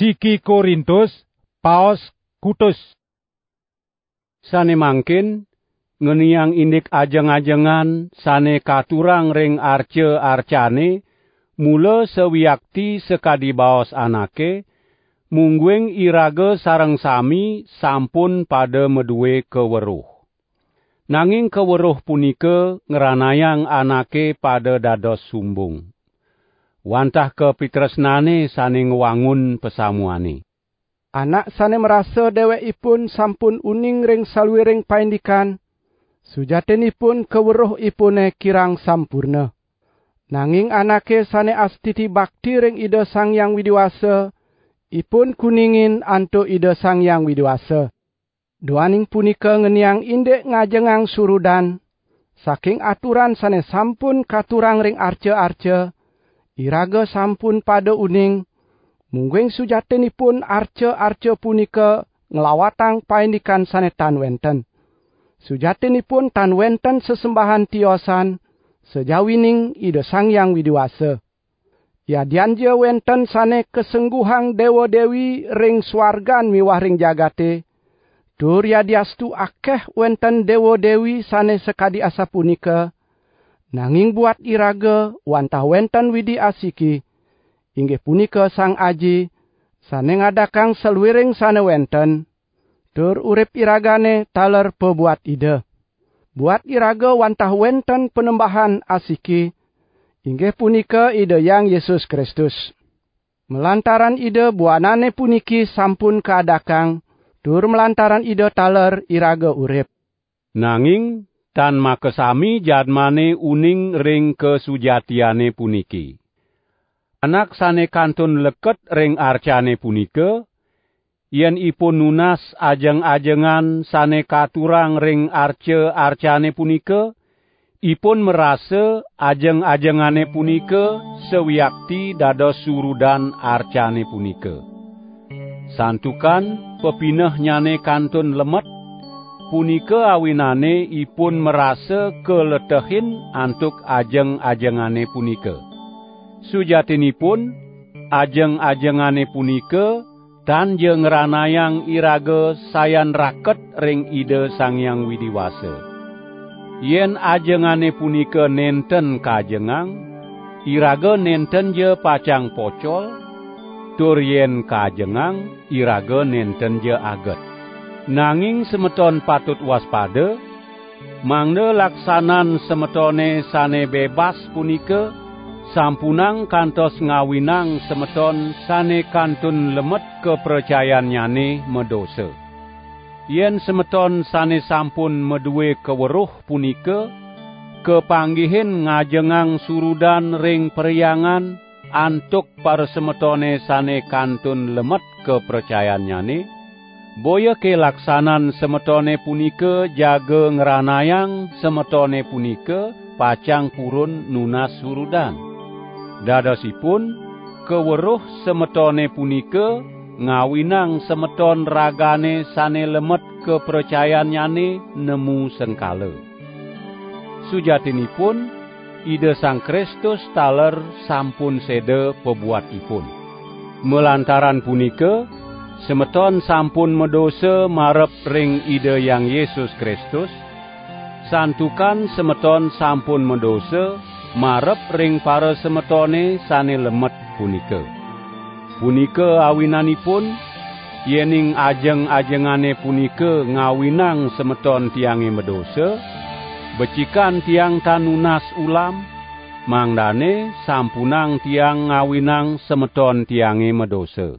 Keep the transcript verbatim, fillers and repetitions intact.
Siki Korintus, paos kutus. Sane mangkin, ngeniang indik ajeng-ajengan sane katurang ring arca-arcane, mula sawiakti sakadi baos anake, mungguing iraga sareng sami sampun pada madue kaweruh. Nanging kaweruh punika ngranayang anake pada dados sumbung. Wantah kapitresnane sane ngwangun pasamuane. Anak sane marasa dewekipun sampun uning ring saluiring paindikan, sujatinipun kaweruhipune kirang sampurna. Nanging anake sane astiti bakti ring Ida Sang Hyang Widi Wasa, ipun kuningin antuk Ida Sang Hyang Widi Wasa. Duaning punika ngeniang indik ngajengang surudan, saking aturan sane sampun katurang ring arca-arca, iraga sampun pada uning, mungguing sujatinipun arca-arca punika nglawatang paindikan sane tan wenten. Sujatinipun tan wenten sesembahan tiosan, sajawining Ida Sang Hyang Widi Wasa. Yadian ja wenten sane kasengguhang dewa-dewi ring swargan miwah ring jagate, tur yadiastu akeh wenten dewa-dewi sane sakadi asapunika, nanging buat iraga wantah wenten Widi asiki, inggih punika Sang Aji, sane ngadakang saluiring sane wenten, tur urip iragane taler pabuat Ida. Buat iraga wantah wenten Panembahan asiki, inggih punika Ida Hyang Yesus Kristus. Malantaran Ida buanane puniki sampun kaadakang, tur malantaran Ida taler iraga urip. Nanging tan makasami jadmane uning ring kasujatiane puniki. Anak sane kantun leket ring arcane punika, yen ipun nunas ajeng-ajengan sane katurang ring arca-arcane punika, ipun marasa ajeng-ajengane punika sawiakti dados surudan arcane punika. Santukan pepinehnyane kantun lemet, punika awinane ipun marasa kaletehin antuk ajeng-ajengane punika. Sujatinipun, ajeng-ajengane punika tan ja ngranayang iraga sayan raket ring Ida Sang Hyang Widi Wasa. Yen ajengane punika nenten kajengang, iraga nenten ja pacang pocol, tur yen kajengang, iraga nenten ja aget. Nanging semeton patut waspada, mangda laksanan semetone sane bebas punika sampunang kantos ngawinang semeton sane kantun lemet kapracayannyane madosa. Yen semeton sane sampun madue kaweruh punika kapanggihin ngajengang surudan ring perhyangan antuk parasemetone sane kantun lemet kapracayannyane, boya kalaksanan semetone punika jaga ngranayang semetone punika pacang purun nunas surudan. Dadosipun, kaweruh semetone punika ngawinang semeton ragane sane lemet kapracayannyane nemu sengkala. Sujatinipun, Ida Sang Kristus taler sampun seda pabuat ipun. Malantaran punika, semeton sampun madosa marep ring Ida Hyang Yesus Kristus, santukan semeton sampun madosa marep ring parasemetone sane lemet punika. Punika awinanipun, yening ajeng-ajengane punika ngawinang semeton tiange madosa, becikan tiang tan nunas ulam, mangdane sampunang tiang ngawinang semeton tiange madosa.